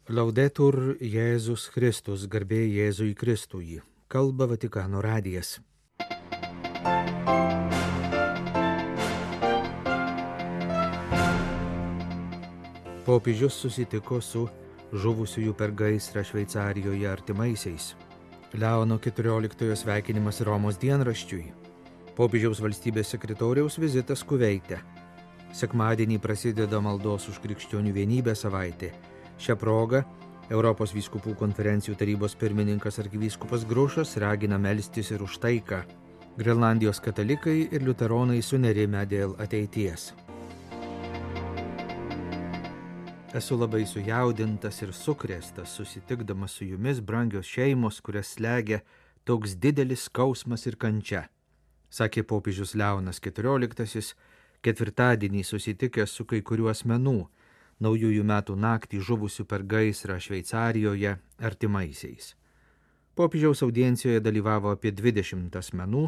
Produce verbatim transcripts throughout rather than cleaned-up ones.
Laudetur Jėzus Kristus, garbė Jėzui Kristui. Kalba Vatikano radijas. Popiežius susitiko su žuvusiųjų per gaisrą Šveicarijoje artimaisiais. Leono keturioliktojo sveikinimas Romos dienraščiui. Popiežiaus valstybės sekretoriaus vizitas Kuveite. Sekmadienį prasideda maldos už krikščionių vienybę savaitė. Šią progą Europos vyskupų konferencijų tarybos pirmininkas arkivyskupas Grušas ragina melstis ir už taiką. Grenlandijos katalikai ir liuteronai sunerimę dėl ateities. Esu labai sujaudintas ir sukrėstas susitikdamas su jumis, brangios šeimos, kurias slegia toks didelis skausmas ir kančia, sakė popiežius Leonas keturioliktasis, ketvirtadienį susitikęs su kai kuriuo asmenų, naujųjų metų naktį žuvusių per gaisrą Šveicarijoje artimaisiais. Popiežiaus audiencijoje dalyvavo apie dvidešimt asmenų,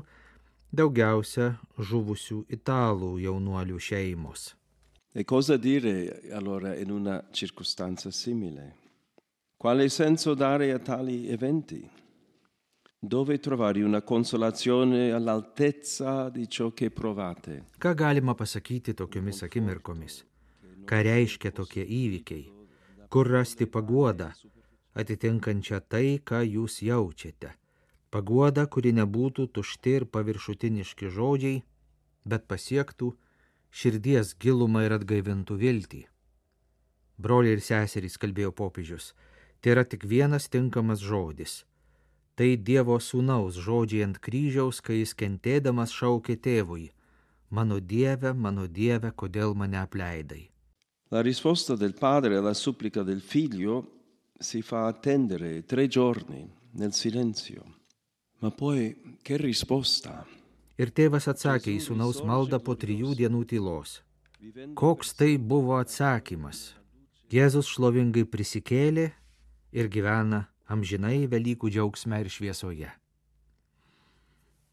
daugiausia žuvusių italų jaunuolių šeimos. E cosa dire allora in una circostanza simile? Quale senso dare a tali eventi? Dove trovare una consolazione all'altezza di ciò che provate? Ką galima pasakyti tokiomis akimirkomis? Ką reiškia tokie įvykiai? Kur rasti paguodą, atitinkančią tai, ką jūs jaučiate? Paguodą, kuri nebūtų tušti ir paviršutiniški žodžiai, bet pasiektų širdies gilumą ir atgaivintų viltį. Broliai ir seserys, kalbėjo popiežius, tai yra tik vienas tinkamas žodis. Tai Dievo sūnaus žodžiai ant kryžiaus, kai jis kentėdamas šaukė tėvui: mano Dieve, mano Dieve, kodėl mane apleidai? La risposta del padre alla supplica del figlio si fa attendere tre giorni nel silenzio. Ma poi che risposta? Ir tėvas atsakė į sūnaus maldą po trijų dienų tylos. Koks tai buvo atsakymas? Jėzus šlovingai prisikėlė ir gyvena amžinai Velykų džiaugsme ir šviesoje.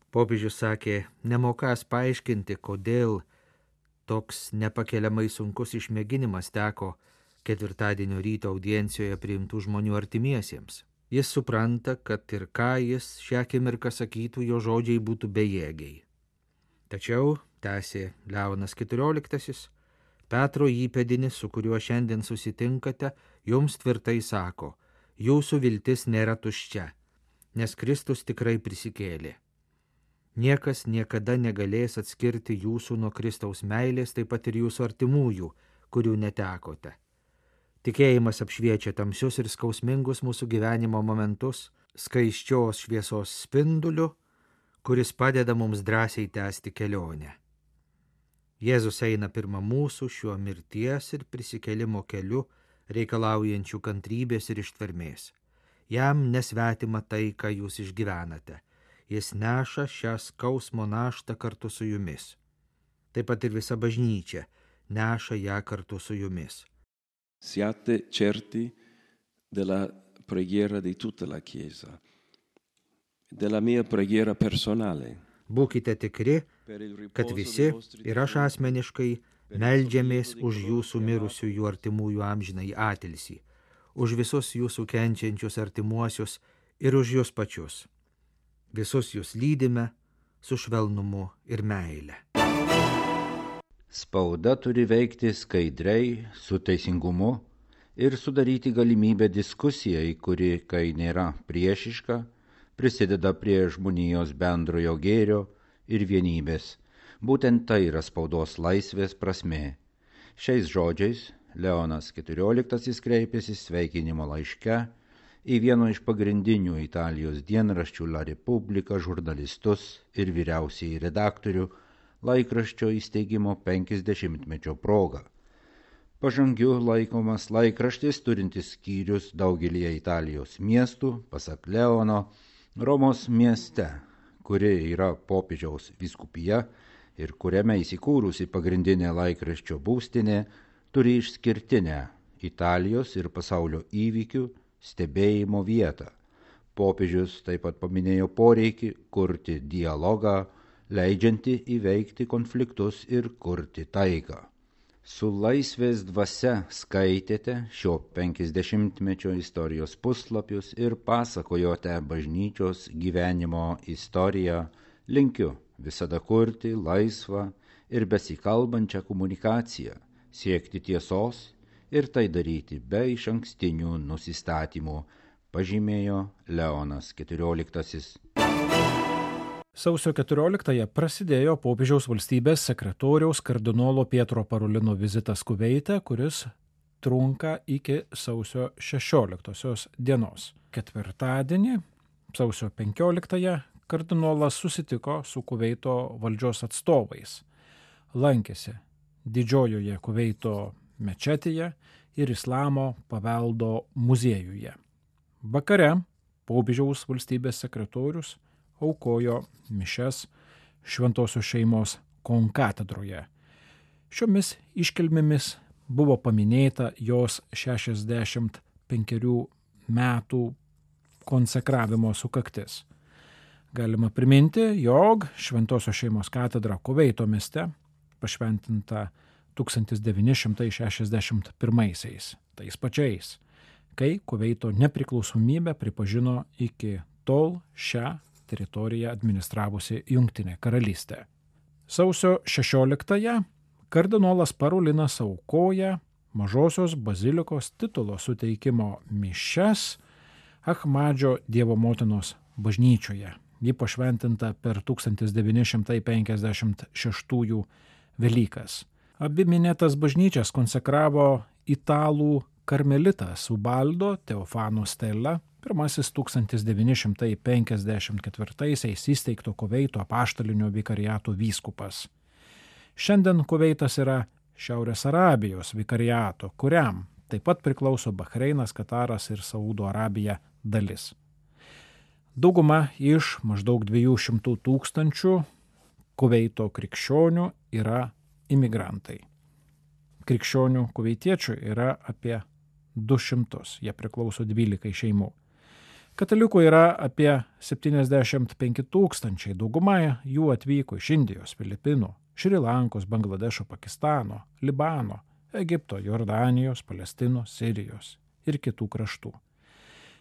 Popiežius sakė, nemokąs paaiškinti, kodėl toks nepakeliamai sunkus išmėginimas teko ketvirtadienio ryto audiencijoje priimtų žmonių artimiesiems. Jis supranta, kad ir ką jis šią akimirką sakytų, jo žodžiai būtų bejėgiai. Tačiau, tęsė Leonas keturioliktasis, Petro įpėdinis, su kuriuo šiandien susitinkate, jums tvirtai sako, jūsų viltis nėra tuščia, nes Kristus tikrai prisikėlė. Niekas niekada negalės atskirti jūsų nuo Kristaus meilės, taip pat ir jūsų artimųjų, kurių netekote. Tikėjimas apšviečia tamsius ir skausmingus mūsų gyvenimo momentus, skaisčios šviesos spinduliu, kuris padeda mums drąsiai tęsti kelionę. Jėzus eina pirma mūsų šiuo mirties ir prisikėlimo keliu, reikalaujančių kantrybės ir ištvermės. Jam nesvetima tai, ką jūs išgyvenate. Jis neša šią skausmo naštą kartu su jumis. Taip pat ir visa bažnyčia neša ją kartu su jumis. Siate certi della preghiera di tutta la Chiesa, della mia preghiera personale. Būkite tikri, kad visi ir aš asmeniškai meldžiamės už jūsų mirusiųjų artimųjų amžinąjį atilsį, už visus jūsų kenčiančius artimuosius ir už jūs pačius. Visus jūs lydime su švelnumu ir meile. Spauda turi veikti skaidriai, su teisingumu ir sudaryti galimybę diskusijai, kuri, kai nėra priešiška, prisideda prie žmonijos bendrojo gėrio ir vienybės. Būtent tai yra spaudos laisvės prasmė. Šiais žodžiais Leonas keturioliktasis kreipėsi sveikinimo laiške į vieno iš pagrindinių Italijos dienraščių La Repubblica žurnalistus ir vyriausiąjį redaktorių laikraščio įsteigimo penkiasdešimtmečio proga. Pažangiu laikomas laikraštis turintis skyrius daugelyje Italijos miestų, pasak Leono, Romos mieste, kuri yra popiežiaus vyskupija ir kuriame įsikūrusi pagrindinė laikraščio būstinė, turi išskirtinę Italijos ir pasaulio įvykių stebėjimo vietą. Popiežius taip pat paminėjo poreikį kurti dialogą, leidžianti įveikti konfliktus ir kurti taiką. Su laisvės dvasia skaitėte šio penkiasdešimtmečio istorijos puslapius ir pasakojote bažnyčios gyvenimo istoriją. Linkiu visada kurti laisvą ir besikalbančią komunikaciją, siekti tiesos ir tai daryti be išankstinių nusistatymų, pažymėjo Leonas keturioliktasis. Sausio keturioliktąją prasidėjo popiežiaus valstybės sekretoriaus kardinolo Pietro Parolino vizitas Kuveite, kuris trunka iki sausio šešioliktosios dienos. Ketvirtadienį, sausio penkioliktąją, kardinolas susitiko su Kuveito valdžios atstovais. Lankėsi didžiojoje Kuveito mečetėje ir Islamo paveldo muziejuje. Vakare popiežiaus valstybės sekretorius aukojo mišias Šventosios šeimos konkatedroje. Šiomis iškilmėmis buvo paminėta jos šešiasdešimt penkerių metų konsekravimo sukaktis. Galima priminti, jog Šventosios šeimos katedra Kuveito mieste pašventinta tūkstantis devyni šimtai šešiasdešimt pirmaisiais, tais pačiais, kai Kuveito nepriklausomybę pripažino iki tol šią teritoriją administravusi Jungtinė karalystė. Sausio šešioliktąją kardinolas Parolinas aukoja Mažosios bazilikos titulo suteikimo mišias Achmadžio Dievo motinos bažnyčioje. Ji pašventinta per tūkstantis devyni šimtai penkiasdešimt šeštųjų Velykas. Abi minėtas bažnyčias konsekravo italų karmelitas Ubaldo Teofano Stella, pirmasis tūkstantis devyni šimtai penkiasdešimt ketvirtaisiais įsteigto Kuveito apaštalinio vikariato vyskupas. Šiandien Kuveitas yra Šiaurės Arabijos vikariato, kuriam taip pat priklauso Bahreinas, Kataras ir Saudo Arabija dalis. Dauguma iš maždaug dviejų šimtų tūkstančių Kuveito krikščionių yra imigrantai. Krikščionių kuveitiečių yra apie du šimtus, jie priklauso dvylikai šeimų. Katalikų yra apie septyniasdešimt penki tūkstančiai, dauguma jų atvyko iš Indijos, Filipinų, Šri Lankos, Bangladešo, Pakistano, Libano, Egipto, Jordanijos, Palestinos, Sirijos ir kitų kraštų.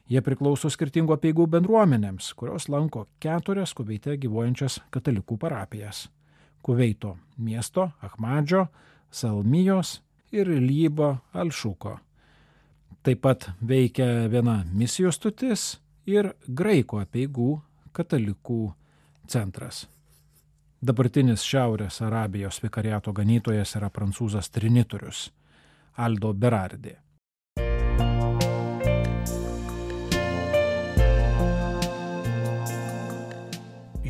Jie priklauso skirtingų apeigų bendruomenėms, kurios lanko keturias Kuveite gyvuojančias katalikų parapijas – Kuveito miesto, Achmadžio, Salmijos ir Lybo Alšuko. Taip pat veikia viena misijų stotis ir graikų apeigų katalikų centras. Dabartinis Šiaurės Arabijos vikariato ganytojas yra prancūzas trinitorius Aldo Berardi.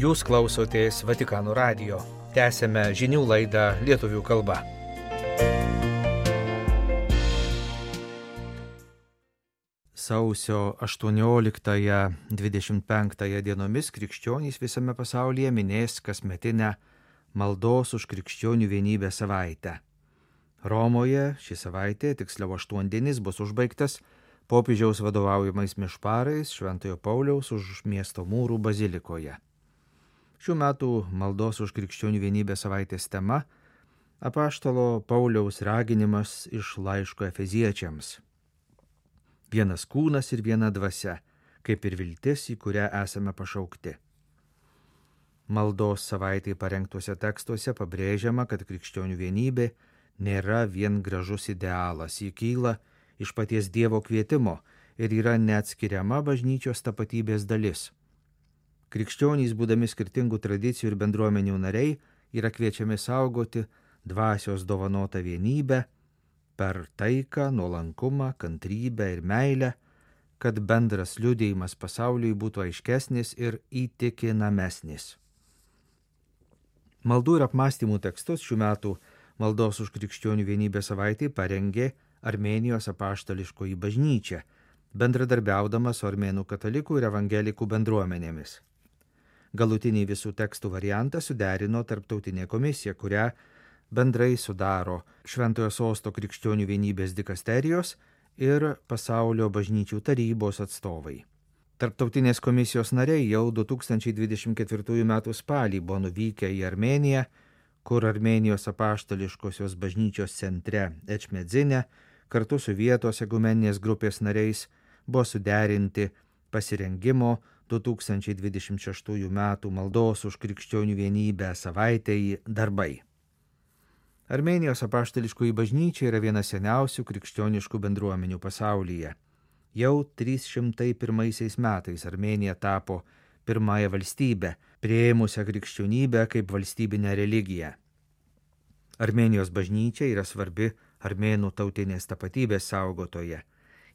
Jūs klausotės Vatikano radijo. Tęsėme žinių laidą lietuvių kalba. Sausio aštuonioliktąją dvidešimt penktąją dienomis krikščionys visame pasaulyje minės kasmetinę maldos už krikščionių vienybę savaitę. Romoje ši savaitė, tiksliau aštuondienis, bus užbaigtas popiežiaus vadovaujamais mišparais Šventojo Pauliaus už miesto mūrų bazilikoje. Šių metų maldos už krikščionių vienybę savaitės tema – apaštalo Pauliaus raginimas iš laiško Efeziečiams. Vienas kūnas ir viena dvasia, kaip ir viltis, į kurią esame pašaukti. Maldos savaitai parengtuose tekstuose pabrėžiama, kad krikščionių vienybė nėra vien gražus idealas, ji kyla iš paties Dievo kvietimo ir yra neatskiriama bažnyčios tapatybės dalis. Krikščionys, būdami skirtingų tradicijų ir bendruomenių nariai, yra kviečiami saugoti dvasios dovanotą vienybę per taiką, nuolankumą, kantrybę ir meilę, kad bendras liudijimas pasauliui būtų aiškesnis ir įtikinamesnis. Maldų ir apmąstymų tekstus šių metų maldos už krikščionių vienybę savaitei parengė Armėnijos apaštališkoji bažnyčia, bendradarbiaudama su armėnų katalikų ir evangelikų bendruomenėmis. Galutinį visų tekstų variantą suderino tarptautinė komisija, kurią bendrai sudaro Šventojo Sosto krikščionių vienybės dikasterijos ir Pasaulio bažnyčių tarybos atstovai. Tarptautinės komisijos nariai jau du tūkstančiai dvidešimt ketvirtųjų metų spalį buvo nuvykę į Armėniją, kur Armėnijos apaštališkosios bažnyčios centre Ečmedzine kartu su vietos ekumeninės grupės nariais buvo suderinti pasirengimo du tūkstančiai dvidešimt šeštųjų metų maldos už krikščionių vienybę savaitei darbai. Armėnijos apaštališkoji bažnyčia yra viena seniausių krikščioniškų bendruomenių pasaulyje. Jau trys šimtai pirmaisiais metais Armėnija tapo pirmąją valstybę, priėmusią krikščionybę kaip valstybinę religiją. Armėnijos bažnyčia yra svarbi armėnų tautinės tapatybės saugotoje.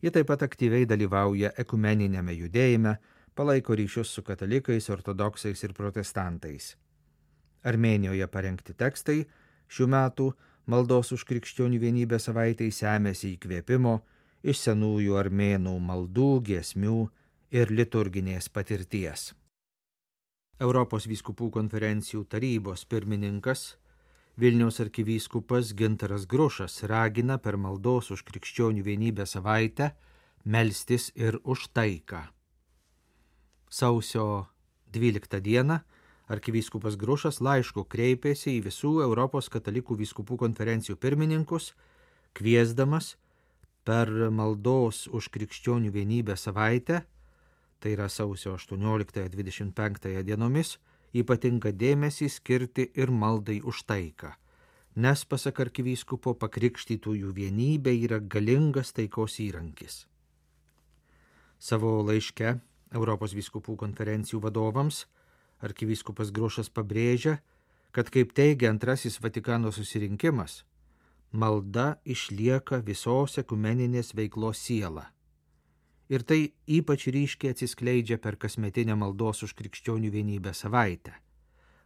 Ji taip pat aktyviai dalyvauja ekumeninėme judėjime, palaiko ryšius su katalikais, ortodoksais ir protestantais. Armėnijoje parengti tekstai šių metų maldos už krikščionių vienybę savaitei semėsi įkvėpimo iš senųjų armėnų maldų, giesmių ir liturginės patirties. Europos vyskupų konferencijų tarybos pirmininkas Vilniaus arkivyskupas Gintaras Grušas ragina per maldos už krikščionių vienybę savaitę melstis ir už taiką. Sausio dvyliktą dieną arkivyskupas Grušas laišku kreipėsi į visų Europos katalikų vyskupų konferencijų pirmininkus, kviesdamas per maldos už krikščionių vienybę savaitę, tai yra sausio aštuonioliktąją dvidešimt penktąją dienomis, ypatingą dėmesį skirti ir maldai už taiką, nes pasak arkivyskupo pakrikštytųjų vienybė yra galingas taikos įrankis. Savo laiške Europos vyskupų konferencijų vadovams arkivyskupas Grušas pabrėžia, kad kaip teigia antrasis Vatikano susirinkimas, malda išlieka visos ekumeninės veiklos siela. Ir tai ypač ryškiai atsiskleidžia per kasmetinę maldos už krikščionių vienybę savaitę.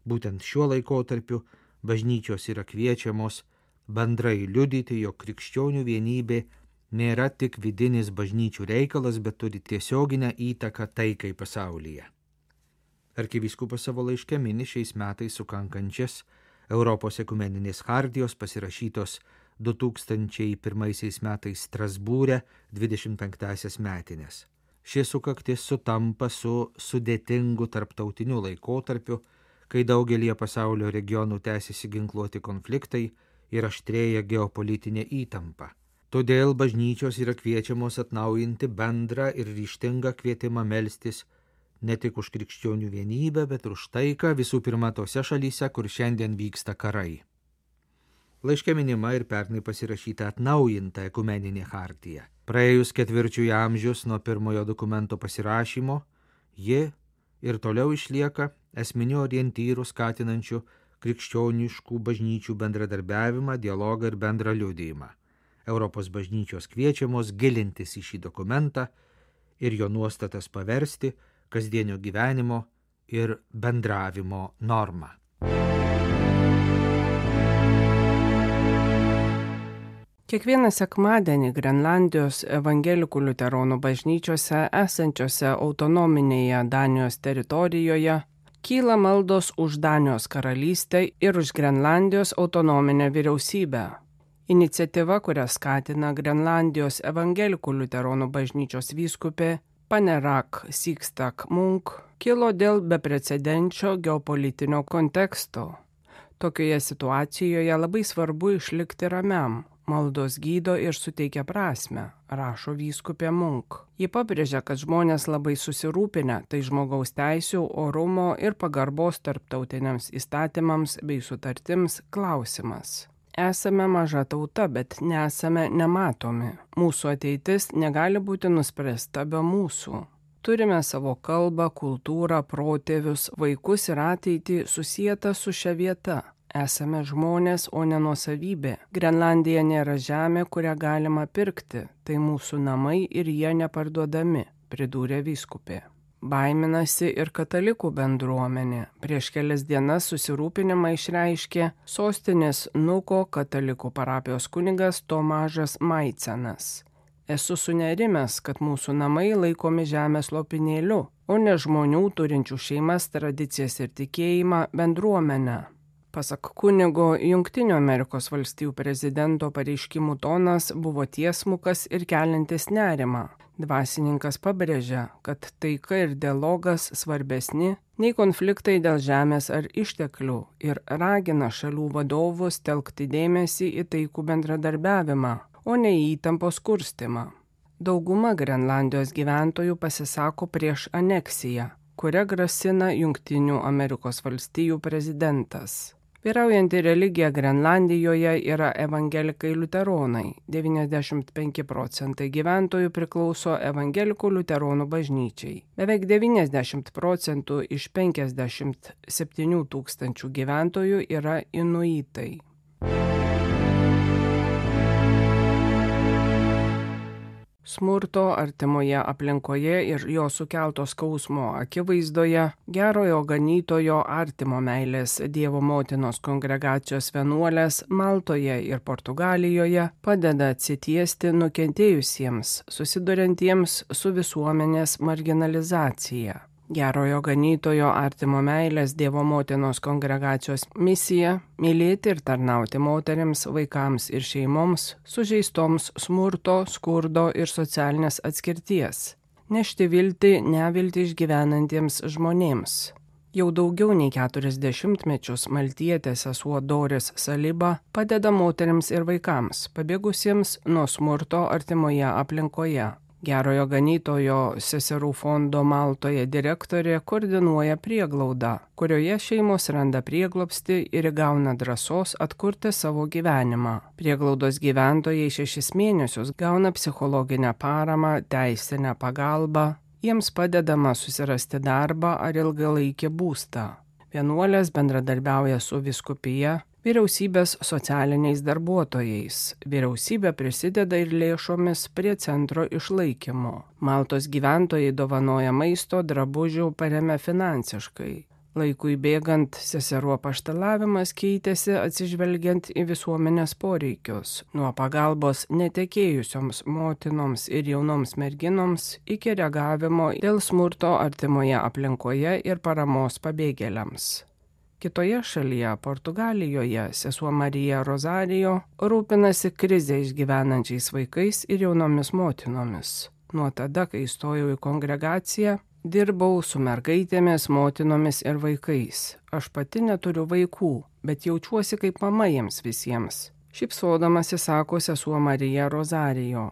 Būtent šiuo laikotarpiu bažnyčios yra kviečiamos bendrai liudyti, jog krikščionių vienybė nėra tik vidinis bažnyčių reikalas, bet turi tiesioginę įtaką taikai pasaulyje. Arkivyskupas savo laiške mini šiais metais sukankančias Europos ekumeninės chartijos pasirašytos du tūkstančiai pirmaisiais metais Strasbūre dvidešimt penktąsias metinės. Ši sukaktis sutampa su sudėtingu tarptautiniu laikotarpiu, kai daugelie pasaulio regionų tęsiasi ginkluoti konfliktai ir aštrėja geopolitinė įtampa. Todėl bažnyčios yra kviečiamos atnaujinti bendrą ir ryžtingą kvietimą melstis ne tik už krikščionių vienybę, bet ir už taiką visų pirma tose šalyse, kur šiandien vyksta karai. Laiške minima ir pernai pasirašyta atnaujinta ekumeninė chartija. Praėjus ketvirčiui amžius nuo pirmojo dokumento pasirašymo, ji ir toliau išlieka esminių orientyrų skatinančių krikščioniškų bažnyčių bendradarbiavimą, dialogą ir bendrą liudijimą. Europos bažnyčios kviečiamos gilintis į šį dokumentą ir jo nuostatas paversti kasdienio gyvenimo ir bendravimo normą. Kiekvieną sekmadienį Grenlandijos evangelikų liuteronų bažnyčiose esančiose autonominėje Danijos teritorijoje kyla maldos už Danijos karalystę ir už Grenlandijos autonominę vyriausybę. Iniciatyva, kurią skatina Grenlandijos evangelikų liuteronų bažnyčios vyskupė Panerak Sigstak Munk, kilo dėl beprecedenčio geopolitinio konteksto. Tokioje situacijoje labai svarbu išlikti ramiam. Maldos gydo ir suteikia prasmę, rašo vyskupė Munk. Ji pabrėžia, kad žmonės labai susirūpinę, tai žmogaus teisių, orumo ir pagarbos tarptautiniams įstatymams bei sutartims klausimas. Esame maža tauta, bet nesame nematomi. Mūsų ateitis negali būti nuspręsta be mūsų. Turime savo kalbą, kultūrą, protėvius, vaikus ir ateitį susietą su šia vieta. Esame žmonės, o ne nuosavybė. Grenlandija nėra žemė, kurią galima pirkti. Tai mūsų namai ir jie neparduodami, pridūrė vyskupė. Baiminasi ir katalikų bendruomenė. Prieš kelias dienas susirūpinimą išreiškė sostinės Nuko katalikų parapijos kunigas Tomažas Maicenas. Esu sunerimęs, kad mūsų namai laikomi žemės lopinėliu, o ne žmonių turinčių šeimas, tradicijas ir tikėjimą bendruomenę. Pasak kunigo, Jungtinių Amerikos valstijų prezidento pareiškimų tonas buvo tiesmukas ir keliantis nerimą. Dvasininkas pabrėžia, kad taika ir dialogas svarbesni nei konfliktai dėl žemės ar išteklių ir ragina šalių vadovus telkti dėmesį į taikų bendradarbiavimą, o ne į įtampos kurstymą. Dauguma Grenlandijos gyventojų pasisako prieš aneksiją, kuria grasina Jungtinių Amerikos valstijų prezidentas. Vyraujanti religija Grenlandijoje yra evangelikai liuteronai. devyniasdešimt penki procentai gyventojų priklauso evangelikų liuteronų bažnyčiai. Beveik devyniasdešimt procentų iš penkiasdešimt septynių tūkstančių gyventojų yra inuitai. Smurto artimoje aplinkoje ir jo sukelto skausmo akivaizdoje gerojo ganytojo artimo meilės Dievo motinos kongregacijos vienuolės Maltoje ir Portugalijoje padeda atsitiesti nukentėjusiems, susiduriantiems su visuomenės marginalizacija. Gerojo ganytojo artimo meilės Dievo motinos kongregacijos misija – mylėti ir tarnauti moterims, vaikams ir šeimoms, sužeistoms smurto, skurdo ir socialinės atskirties, nešti viltį neviltį išgyvenantiems žmonėms. Jau daugiau nei keturis dešimtmečius maltietė sesuo Doris Saliba padeda moterims ir vaikams, pabėgusiems nuo smurto artimoje aplinkoje. Gerojo ganytojo seserų fondo Maltoje direktorė koordinuoja prieglaudą, kurioje šeimos randa prieglobstį ir įgauna drąsos atkurti savo gyvenimą. Prieglaudos gyventojai šešis mėnesius gauna psichologinę paramą, teisinę pagalbą, jiems padedama susirasti darbą ar ilgalaikį būstą. Vienuolės bendradarbiauja su vyskupija, vyriausybės socialiniais darbuotojais. Vyriausybė prisideda ir lėšomis prie centro išlaikymo. Maltos gyventojai dovanoja maisto, drabužių, paremia finansiškai. Laikui bėgant seserų apaštalavimas keitėsi atsižvelgiant į visuomenės poreikius, nuo pagalbos netekėjusioms motinoms ir jaunoms merginoms iki reagavimo dėl smurto artimoje aplinkoje ir paramos pabėgėliams. Kitoje šalyje, Portugalijoje, sesuo Marija Rozarijo rūpinasi krizę išgyvenančiais vaikais ir jaunomis motinomis. Nuo tada, kai įstojau į kongregaciją, dirbau su mergaitėmis, motinomis ir vaikais. Aš pati neturiu vaikų, bet jaučiuosi kaip mama jiems visiems. Šypsodamasi sako sesuo Marija Rozarijo.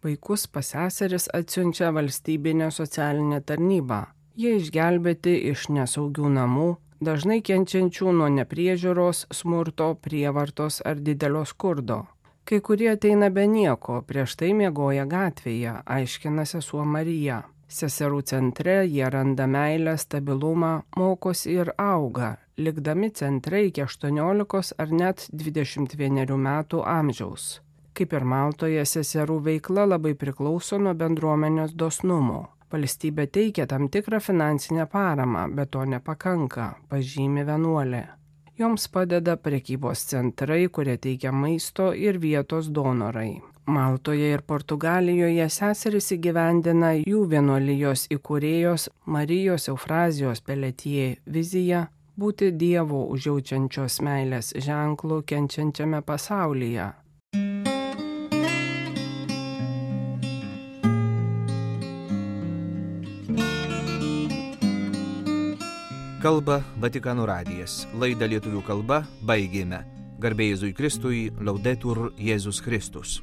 Vaikus pas seseris atsiunčia valstybinė socialinė tarnyba. Jie išgelbėti iš nesaugių namų, dažnai kenčiančių nuo nepriežiūros, smurto, prievartos ar didelio skurdo. Kai kurie ateina be nieko, prieš tai miegoja gatvėje, aiškina sesuo Marija. Seserų centre jie randa meilę, stabilumą, mokosi ir auga, likdami centre iki aštuoniolikos ar net dvidešimt vienerių metų amžiaus. Kaip ir Maltoje, seserų veikla labai priklauso nuo bendruomenės dosnumo. Valstybė teikia tam tikrą finansinę paramą, bet to nepakanka, pažymi vienuolė. Joms padeda prekybos centrai, kurie teikia maisto ir vietos donorai. Maltoje ir Portugalijoje seserys įgyvendina jų vienuolijos įkūrėjos Marijos Eufrazijos Peletie viziją būti Dievo užjaučiančios meilės ženklų kenčiančiame pasaulyje. Kalba Vatikano radijas. Laidą lietuvių kalba baigėme. Garbė Jėzui Kristui, Laudetur Jėzus Kristus.